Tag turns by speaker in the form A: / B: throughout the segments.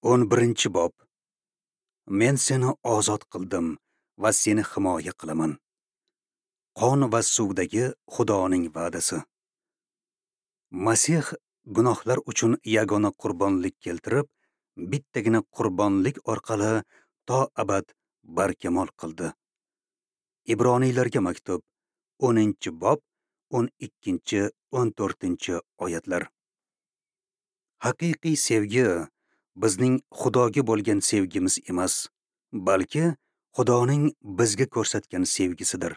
A: 11-bob. Men seni ozod qildim va seni himoya qilaman. Qon va suvdagi Xudoning va'dasi. Masih gunohlar uchun yagona qurbonlik keltirib, bittagina qurbonlik orqali to abad barkamol qildi. Ibroniylarga maktub, 10-bob, 12-14 oyatlar. Haqiqiy sevgi bizning Xudoga bo'lgan sevgimiz emas, balki Xudoning bizga ko'rsatgan sevgisidir.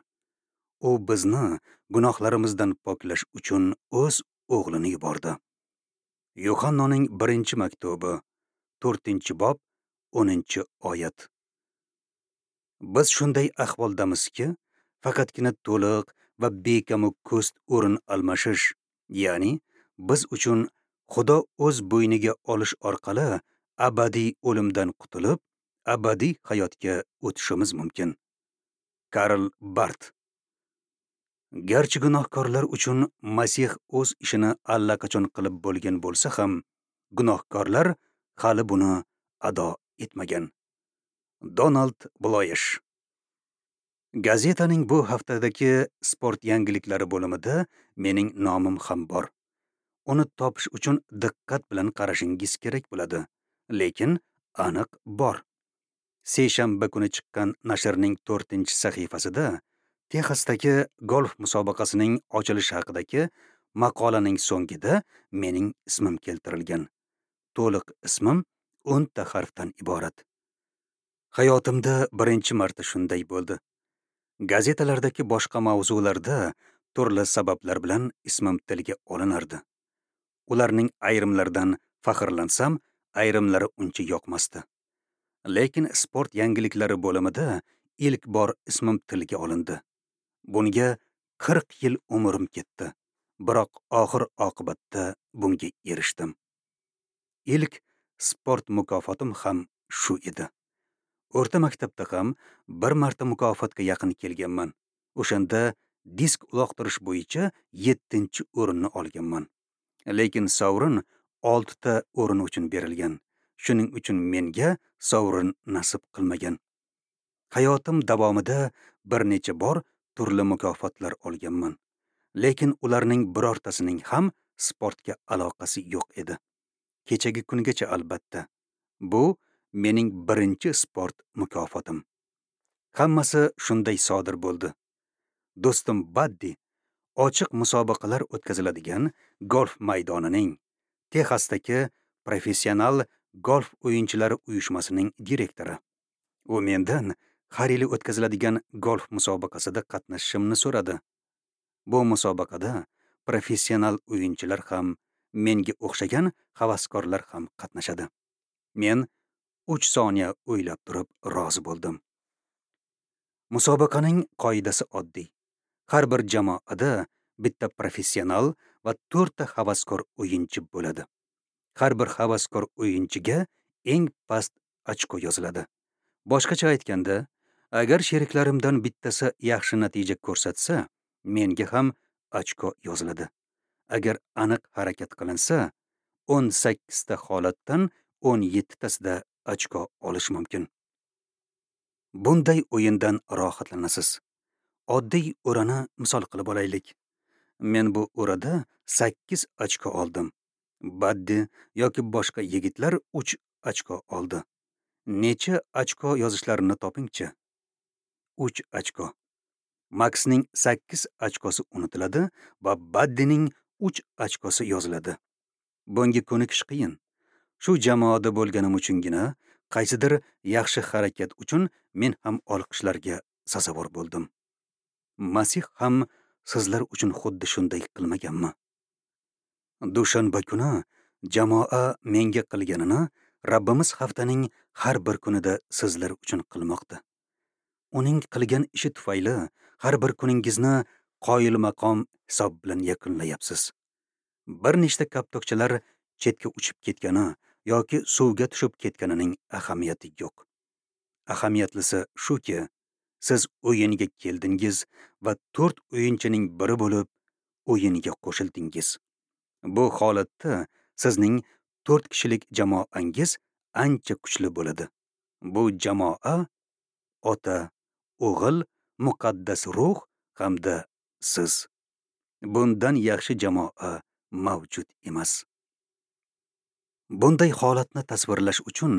A: U bizni gunohlarimizdan poklash uchun o'z o'g'lini yubordi. Yuhannoning 1-maktubi, 4-bob, 10-oyat. Biz shunday ahvoldamizki, faqatgina to'liq va bekamu ko'st o'rin almashish, ya'ni biz uchun Xudo o'z bo'yniga olish orqali abadiy o'limdan qutulib, abadiy hayotga o'tishimiz mumkin. Karl Bart. Garchi gunohkorlar uchun Masih o'z ishini allaqachon qilib bo'lgan bo'lsa ham, gunohkorlar hali buni ado etmagan. Donald Bloyesh. Gazetaning bu haftadagi sport yangiliklari bo'limida mening nomim ham bor. Uni topish uchun diqqat bilan qarashingiz kerak bo'ladi, lekin aniq bor. Seshanba kuni chiqqan nashrning 4-sahifasida Texasdagi golf musobaqasining ochilishi haqidagi maqolaning so'ngida mening ismim keltirilgan. To'liq ismim 10 ta harfdan iborat. Hayotimda birinchi marta shunday bo'ldi. Gazetalardagi boshqa mavzularda turli sabablar bilan ismim tilga olinardi. Ularning ayrimlaridan faxrlansam, ayrimlari uncha yoqmasdi. Lekin sport yangiliklari bo'limida ilk bor ismim tilga olindi. Bunga 40 yil umrim ketdi. Biroq oxir oqibatda bunga erishdim. Ilk sport mukofotim ham shu edi. O'rta maktabda ham bir marta mukofotga yaqin kelganman. O'shanda disk uloqtirish bo'yicha 7-o'rinni olganman. Lekin sovrin 6 ta o'rin uchun berilgan. Shuning uchun menga sovrin nasib qilmagan. Hayotim davomida bir necha bor turli mukofotlar olganman. Lekin ularning birortasining ham sportga aloqasi yo'q edi. Kechagi kungacha albatta. Bu mening birinchi sport mukofotim. Hammasi shunday sodir bo'ldi. Do'stim Baddi ochiq musobaqalar o'tkaziladigan golf maydonining, Texasdagi professional golf o'yinchilari uyushmasining direktori. U mendan har yili o'tkaziladigan golf musobaqasida qatnashishimni so'radi. Bu musobaqada professional o'yinchilar ham, menga o'xshagan havaskorlar ham qatnashadi. Men 3 soniya o'ylab turib rozi bo'ldim. Musobaqaning qoidasi oddiy. Har bir jamoada bitta professional va 4 ta havaskor o'yinchi bo'ladi. Har bir havaskor o'yinchiga eng past ochko yoziladi. Boshqacha aytganda, agar sheriklarimdan bittasi yaxshi natija ko'rsatsa, menga ham ochko yoziladi. Agar aniq harakat qilinsa, 18 ta holatdan 17 tasida ochko olish mumkin. Bunday o'yindan rohatlanasiz. Oddiy o'rani misol qilib olaylik. Men bu o'rada 8 ochko oldim. Baddi yoki boshqa yigitlar 3 ochko oldi. Necha ochko yozishlarini topingchi. 3 ochko. Maxning 8 ochkosi unutiladi va Baddining 3 ochkosi yoziladi. Bunga ko'nikish qiyin. Shu jamoada bo'lganim uchungina qaysidir yaxshi harakat uchun men ham olqishlarga sazovor bo'ldim. Masih ham sizlar uchun xuddi shunday qilmaganmi? Dushanba kuni jamoa menga qilganini Rabbimiz haftaning har bir kunida sizlar uchun qilmoqda. Uning qilgan ishi tufayli har bir kuningizni qoyil maqom hisob bilan yakunlayapsiz. Bir nechta koptokchalar chetga uchib ketgani yoki suvga tushib ketganining ahamiyati yo'q. Ahamiyatlisi shuki, siz o'yinga keldingiz va 4 o'yinchining biri bo'lib o'yinga qo'shildingiz. Bu holatda sizning 4 kishilik jamoangiz ancha kuchli bo'ladi. Bu jamoa Ota, O'g'il, Muqaddas Ruh hamda siz. Bundan yaxshi jamoa mavjud emas. Bunday holatni tasvirlash uchun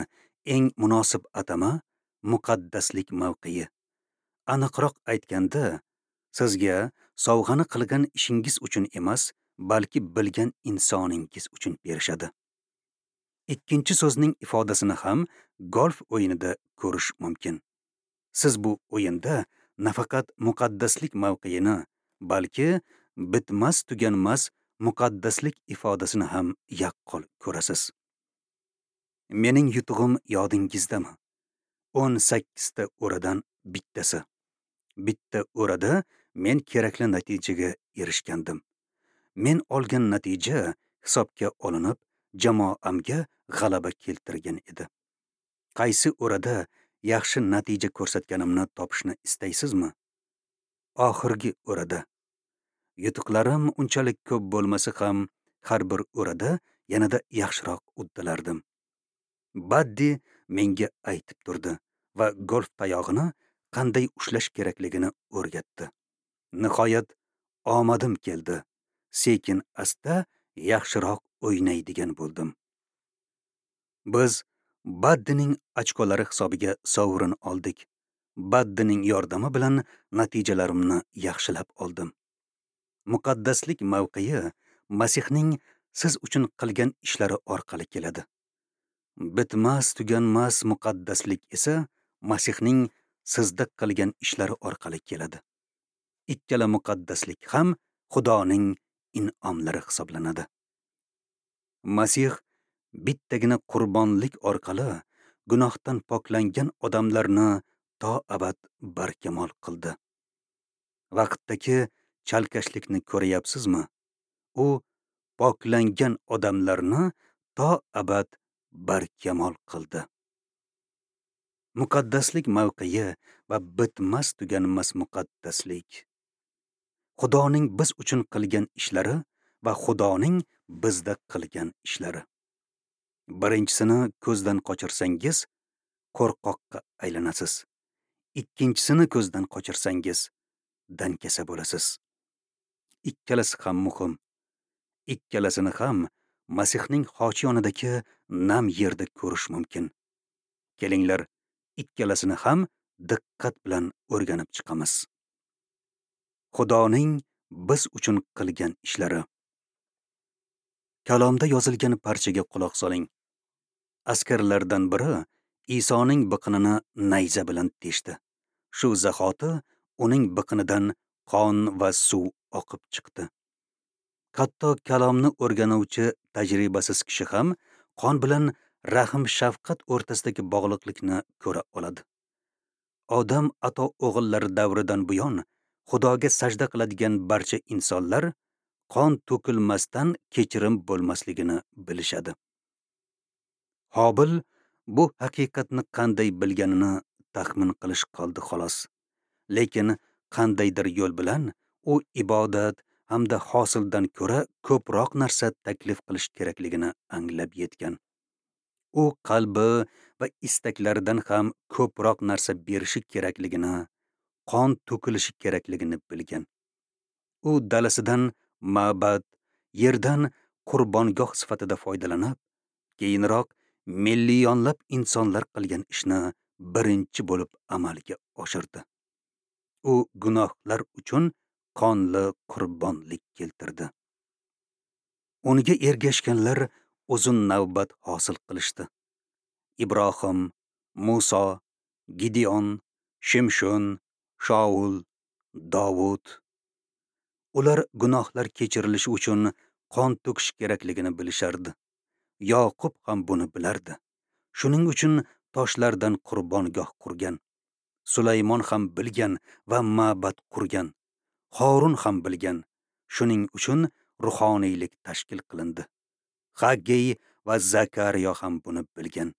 A: eng munosib atama muqaddaslik mavqei. Aniqroq aytganda, sizga sovg'ani qilgan ishingiz uchun emas, balki bilgan insoningiz uchun berishadi. Ikkinchi so'zning ifodasini ham golf o'yinida ko'rish mumkin. Siz bu o'yinda nafaqat muqaddaslik mavqeini, balki bitmas tuganmas muqaddaslik ifodasini ham yaqqol ko'rasiz. Mening yutug'im yodingizdami? 18 ta o'radan bittasi. Bitta o'rada men kerakli natijaga erishgandim. Men olgan natija hisobga olinib, jamoamga g'alaba keltirgan edi. Qaysi o'rada yaxshi natija ko'rsatganimni topishni istaysizmi? Oxirgi o'rada. Yutuqlarim unchalik ko'p bo'lmasa ham, har bir o'rada yanada yaxshiroq uddalardim. Baddi menga aytib turdi va golf tayog'ini qanday ushlash kerakligini o'rgatdi. Nihoyat omadim keldi. Sekin asta yaxshiroq o'ynaydigan bo'ldim. Biz Baddining ochkolari hisobiga sovrin oldik. Baddining yordami bilan natijalarimni yaxshilab oldim. Muqaddaslik mavqei Masihning siz uchun qilgan ishlari orqali keladi. Bitmas tuganmas muqaddaslik esa Masihning sizda qilgan ishlari orqali keladi. Ikkala muqaddaslik ham Xudoning in'omlari hisoblanadi. Masih bittagina qurbonlik orqali gunohdan poklangan odamlarni to abad barkamol qildi. Vaqtdagi chalkashlikni ko'ryapsizmi? U poklangan odamlarni to abad barkamol qildi. Muqaddaslik mavqei va bitmas tuganmas muqaddaslik. Xudoning biz uchun qilgan ishlari va Xudoning bizda qilgan ishlari. Birinchisini ko'zdan qochirsangiz, qo'rqoqqa aylanasiz. Ikkinchisini ko'zdan qochirsangiz, dankasa bo'lasiz. Ikkalasi ham muhim. Ikkalasini ham Masihning xochi yonidagi nam yerda ko'rish mumkin. Kelinglar, ikkalasini ham diqqat bilan o'rganib chiqamiz. Xudoning biz uchun qilgan ishlari. Kalomda yozilgan parchaga quloq soling. Askarlardan biri Isoning biqinini nayza bilan teshdi. Shu zahoti uning biqinidan qon va suv oqib chiqdi. Hatto kalomni o'rganuvchi tajribasiz kishi ham qon bilan rahm-shafqat o'rtasidagi bog'liqlikni ko'ra oladi. Odam ato o'g'illari davridan buyon Xudoga sajda qiladigan barcha insonlar qon to'kilmasdan kechirim bo'lmasligini bilishadi. Hobil bu haqiqatni qanday bilganini taxmin qilish qoldi xolos. Lekin qandaydir yo'l bilan u ibodat hamda hosildan ko'ra ko'proq narsa taklif qilish kerakligini anglab yetgan. U qalbi va istaklaridan ham ko'proq narsa berishi kerakligini, qon to'kilishi kerakligini bilgan. U dalasidan ma'bad, yerdan qurbongoh sifatida foydalanib, keyinroq millionlab insonlar qilgan ishni birinchi bo'lib amalga oshirdi. U gunohlar uchun qonli qurbonlik keltirdi. Unga ergashganlar uzun navbat hosil qilishdi. Ibrohim, Muso, Gideon, Shimshon, Shaul, Davud. Ular gunohlar kechirilishi uchun qon to'kish kerakligini bilishardi. Yoqub ham buni bilardi. Shuning uchun toshlardan qurbongoh qurgan. Sulaymon ham bilgan va ma'bad qurgan. Horun ham bilgan. Shuning uchun ruhoniylik tashkil qilindi. Haggey va Zakariyo ham buni bilgan.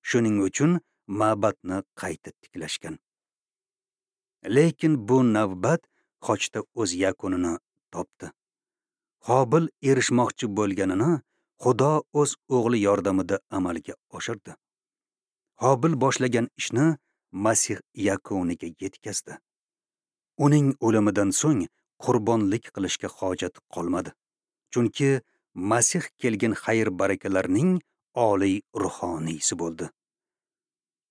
A: Shuning uchun ma'badni qayta tiklashgan. Lekin bu navbat xochda o'z yakunini topdi. Hobil erishmoqchi bo'lganini Xudo o'z o'g'li yordamida amalga oshirdi. Hobil boshlagan ishni Masih yakuniga yetkazdi. Uning o'limidan so'ng qurbonlik qilishga hojat qolmadi. Chunki Masih kelgan xayr-barakalarning oliy ruhoniysi bo'ldi.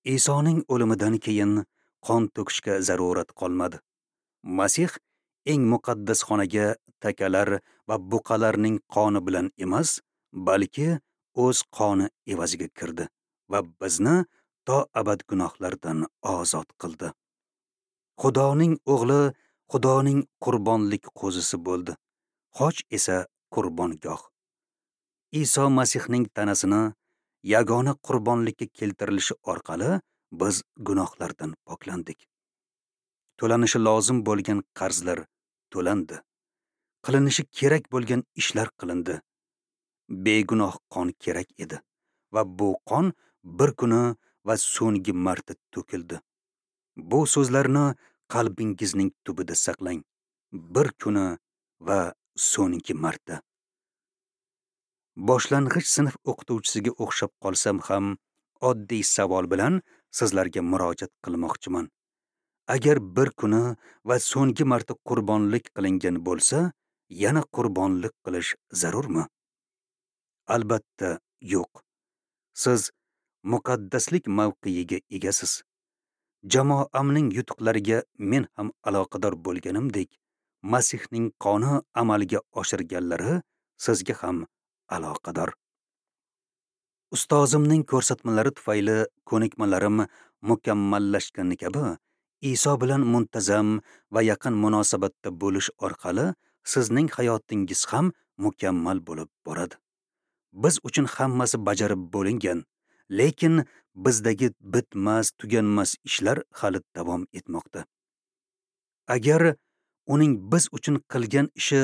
A: Isoning o'limidan keyin qon to'kishga zarurat qolmadi. Masih eng muqaddas xonaga takalar va buqalarning qoni bilan emas, balki o'z qoni evaziga kirdi va bizni to abad gunohlardan ozod qildi. Xudoning o'g'li Xudoning qurbonlik qo'zisi bo'ldi. Xoch esa qurbongoh. Iso Masihning tanasini yagona qurbonlikka keltirilishi orqali biz gunohlardan poklandik. To'lanishi lozim bo'lgan qarzlar to'landi. Qilinishi kerak bo'lgan ishlar qilindi. Begunoh qon kerak edi va bu qon bir kuni va so'nggi marta to'kildi. Bu so'zlarni qalbingizning tubida saqlang. Bir kuni va so'nggi marta. Boshlang'ich sinf o'qituvchisiga o'xshab qolsam ham, oddiy savol bilan sizlarga murojaat qilmoqchiman. Agar bir kuni va so'nggi marta qurbonlik qilingan bo'lsa, yana qurbonlik qilish zarurmi? Albatta, yo'q. Siz muqaddaslik mavqeiga egasiz. Jamoamning yutuqlariga men ham aloqador bo'lganimdek, Masihning qoni amalga oshirganlari sizga ham aloqador. Ustozimning ko'rsatmalari tufayli ko'nikmalarim mukammallashgani kabi, Iso bilan muntazam va yaqin munosabatda bo'lish orqali sizning hayotingiz ham mukammal bo'lib boradi. Biz uchun hammasi bajarib bo'lingan, lekin bizdagi bitmas, tuganmas ishlar hali davom etmoqda. Agar uning biz uchun qilgan ishi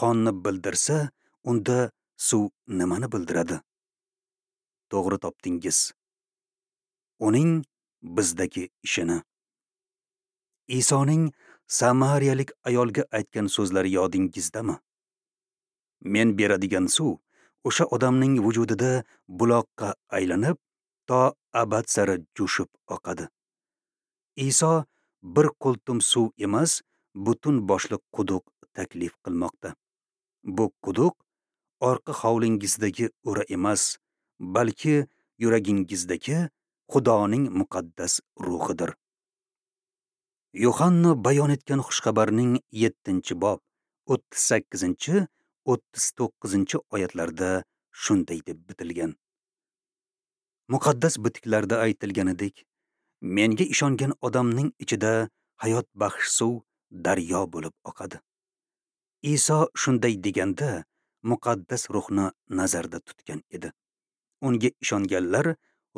A: qonni bildirsa, unda suv nimani bildiradi? To'g'ri topdingiz. Uning bizdagi ishini. Isoning samariyalik ayolga aytgan so'zlari yodingizdami? Men beradigan suv o'sha odamning vujudida buloqqa aylanib, to abad sari jo'shib oqadi. Iso bir qultum suv emas, butun boshli quduq taklif qilmoqda. Bu quduq orqa hovlingizdagi o'ra emas, balki yuragingizdagi Xudoning muqaddas ruhidir. Yohanna bayon etgan xushxabarning 7-bob 38-39 oyatlarda shunday deb bitilgan. Muqaddas bitiklarda aytilganidek, menga ishongan odamning ichida hayot baxsh suv daryo bo'lib oqadi. Iso shunday deganda muqaddas ruhni nazarda tutgan edi. Unga ishonganlar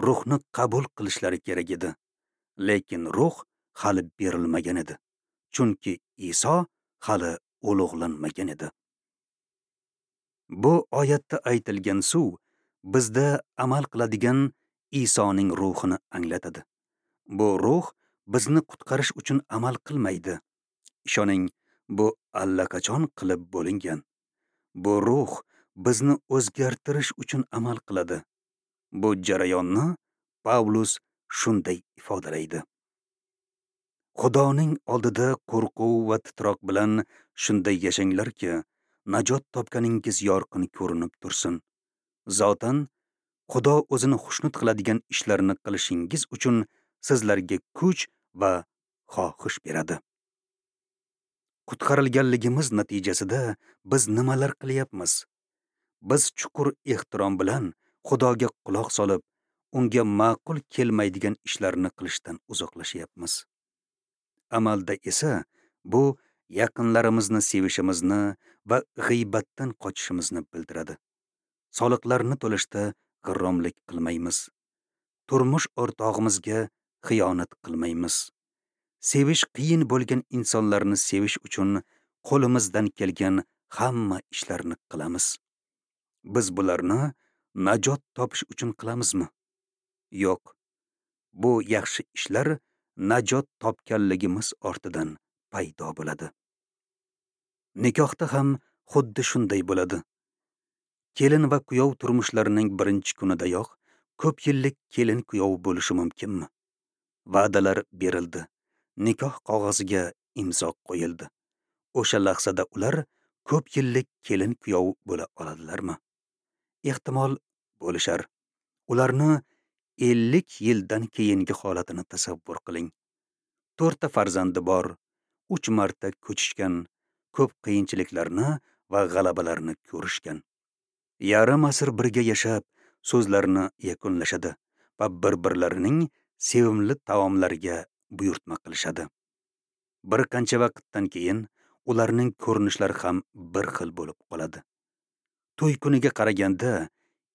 A: ruhni qabul qilishlari kerak edi. Lekin ruh hali berilmagan edi. Chunki Iso hali ulug'lanmagan edi. Bu oyatda aytilgan suv bizda amal qiladigan Isoning ruhini anglatadi. Bu ruh bizni qutqarish uchun amal qilmaydi. Ishoning, bu allaqachon qilib bo'lingan. Bu ruh bizni o'zgartirish uchun amal qiladi. Bu jarayonni Pavlus shunday ifodalaydi. Xudoning oldida qo'rquv va titroq bilan shunday yashanglarki, najot topganingiz yorqin ko'rinib tursin. Zotan, Xudo o'zini xushnud qiladigan ishlarni qilishingiz uchun sizlarga kuch va xohish beradi. Qutqarilganligimiz natijasida biz nimalar qilyapmiz? Biz chuqur ehtirom bilan Xudoga quloq solib, unga ma'qul kelmaydigan ishlarni qilishdan uzoqlashyapmiz. Amalda esa bu yaqinlarimizni sevishimizni va g'iybatdan qochishimizni bildiradi. Soliqlarni to'lashda g'irromlik qilmaymiz. Turmush o'rtog'imizga xiyonat qilmaymiz. Sevish qiyin bo'lgan insonlarni sevish uchun qo'limizdan kelgan hamma ishlarni qilamiz. Biz bularni najot topish uchun qilamizmi? Yo'q. Bu yaxshi ishlar najot topganligimiz ortidan paydo bo'ladi. Nikohda ham xuddi shunday bo'ladi. Kelin va kuyov turmushlarining birinchi kunidayoq ko'p yillik kelin kuyov bo'lishi mumkinmi? Va'dalar berildi. Nikoh qog'oziga imzo qo'yildi. O'sha lahzada ular ko'p yillik kelin kuyov bo'la oladilarmi? Ehtimol bo'lishar. Ularni 50 yildan keyingi holatini tasavvur qiling. 4 ta farzandi bor, 3 marta ko'chishgan, ko'p qiyinchiliklarni va g'alabalarni ko'rishgan. Yarim asr birga yashab, so'zlarini yakunlashadi va bir-birlarining sevimli taomlariga buyurtma qilishadi. Bir qancha vaqtdan keyin ularning ko'rinishlari ham bir xil bo'lib qoladi. To'y kuniga qaraganda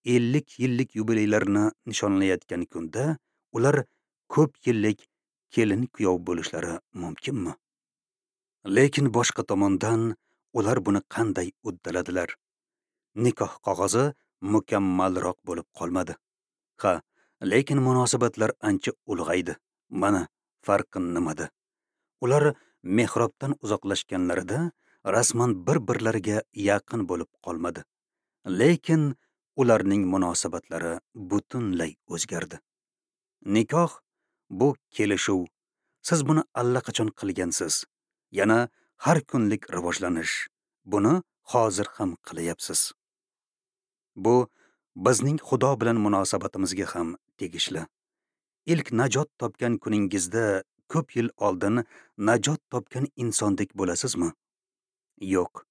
A: 50 yillik yubileylarni nishonlayotgan kunda ular ko'p yillik kelin kuyov bo'lishlari mumkinmi? Lekin boshqa tomondan ular buni qanday uddaladilar? Nikoh qog'ozi mukammalroq bo'lib qolmadi. Ha, lekin munosabatlar ancha ulg'aydi. Mana farqi nimada? Ular mehrobdan uzoqlashganlarida rasman bir-birlariga yaqin bo'lib qolmadi. Lekin ularning munosabatlari butunlay o'zgardi. Nikoh bu kelishuv. Siz buni allaqachon qilgansiz. Yana har kunlik rivojlanish. Buni hozir ham qilyapsiz. Bu bizning Xudo bilan munosabatimizga ham tegishli. Ilk najot topgan kuningizda ko'p yil oldin najot topgan insondek bo'lasizmi? Yo'q.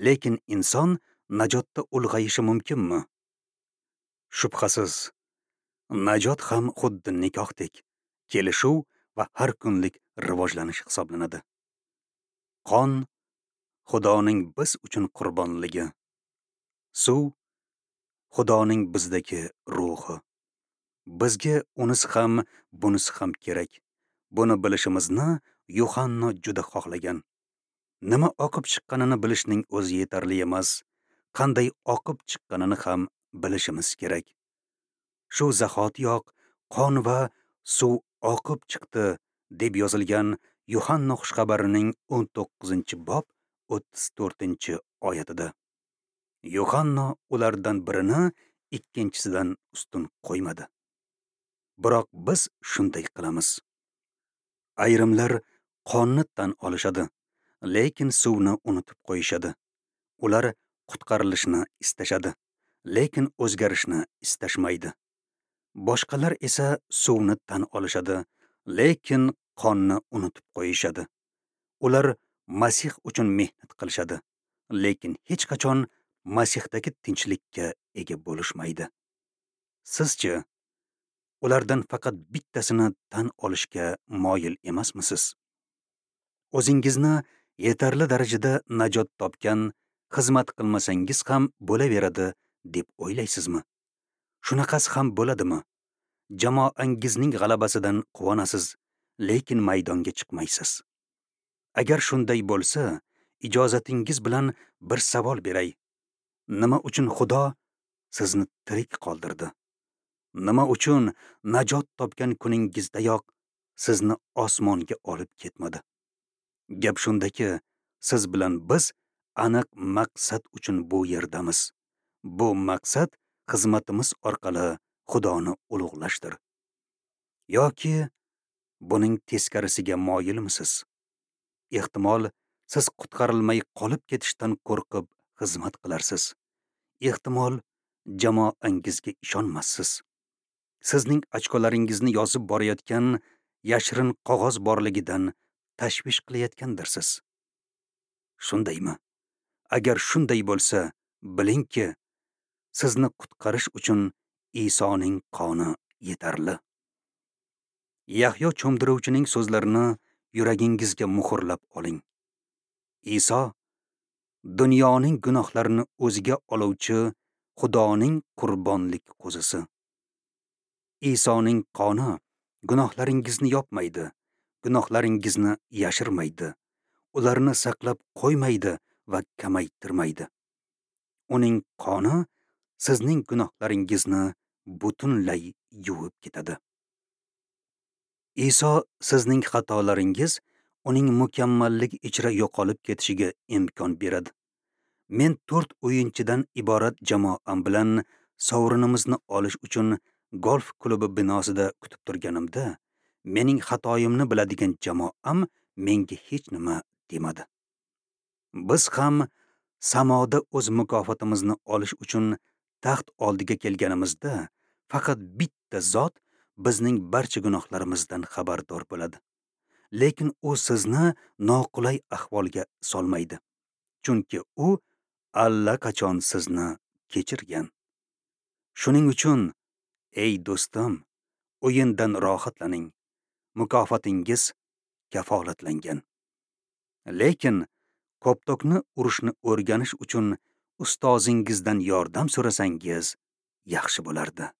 A: Lekin inson najotda ulg'ayishi mumkinmi? Shubhasiz. Najot ham xuddi nikohdek kelishuv va har kunlik rivojlanish hisoblanadi. Qon Xudoning biz uchun qurbonligi. Suv Xudoning bizdagi ruhi. Bizga unisi ham, bunisi ham kerak. Buni bilishimizni Yuhanno juda xohlagan. Nima oqib chiqqanini bilishning o'zi yetarli emas, qanday oqib chiqqanini ham bilishimiz kerak. Shu zahotiyoq qon va suv oqib chiqdi deb yozilgan Yuhanno xushxabarining 19-bob 34-oyatida. Yuhanno ulardan birini ikkinchisidan ustun qo'ymadi. Biroq biz shunday qilamiz. Ayrimlar qonni tan olishadi, lekin suvni unutib qo'yishadi. Ular qutqarilishni istashadi, lekin o'zgarishni istashmaydi. Boshqalar esa suvni tan olishadi, lekin qonni unutib qo'yishadi. Ular Masih uchun mehnat qilishadi, lekin hech qachon Masihdagi tinchlikka ega bo'lishmaydi. Sizchi ulardan faqat bittasini tan olishga moyil emasmisiz? O'zingizni yetarli darajada najot topgan, xizmat qilmasangiz ham bo'laveradi deb o'ylaysizmi? Shunaqasi ham bo'ladimi? Jamoangizning g'alabasidan quvonasiz, lekin maydonga chiqmaysiz. Agar shunday bo'lsa, ijozatingiz bilan bir savol beray. Nima uchun Xudo sizni tirik qoldirdi? Nima uchun najot topgan kuningizdayoq sizni osmonga olib ketmadi? Gap shundaki, siz bilan biz aniq maqsad uchun bu yerdamiz. Bu maqsad xizmatimiz orqali Xudoni ulug'lashdir. Yoki buning teskarisiga moyilmisiz? Ehtimol siz qutqarilmay qolib ketishdan qo'rqib xizmat qilarsiz. Ehtimol jamoangizga ishonmassiz. Sizning ochkolaringizni yozib borayotgan yashirin qog'oz borligidan tashvish qilayotgandirsiz. Shundaymi? Agar shunday bo'lsa, bilingki, sizni qutqarish uchun Isoning qoni yetarli. Yahyo cho'mdiruvchining so'zlarini yuragingizga muhrlab oling. Iso dunyoning gunohlarini o'ziga oluvchi Xudoning qurbonlik qo'zisi. Isoning qoni gunohlaringizni yopmaydi, gunohlaringizni yashirmaydi, ularni saqlab qo'ymaydi va kamaytirmaydi. Uning qoni sizning gunohlaringizni butunlay yuvib ketadi. Iso sizning xatolaringiz uning mukammalligi ichra yo'qolib ketishiga imkon beradi. Men 4 o'yinchidan iborat jamoam bilan sovrinimizni olish uchun golf klubi binosida kutib turganimda, mening xatoyimni biladigan jamoam menga hech nima demadi. Biz ham samoda o'z mukofotimizni olish uchun taxt oldiga kelganimizda faqat bitta zot bizning barcha gunohlarimizdan xabardor bo'ladi. Lekin u sizni noqulay ahvolga solmaydi. Chunki u allaqachon sizni kechirgan. Shuning uchun, ey do'stim, o'yindan rohatlaning. Mukofotingiz kafolatlangan. Lekin koptokni urishni o'rganish uchun ustozingizdan yordam so'rasangiz yaxshi bo'lardi.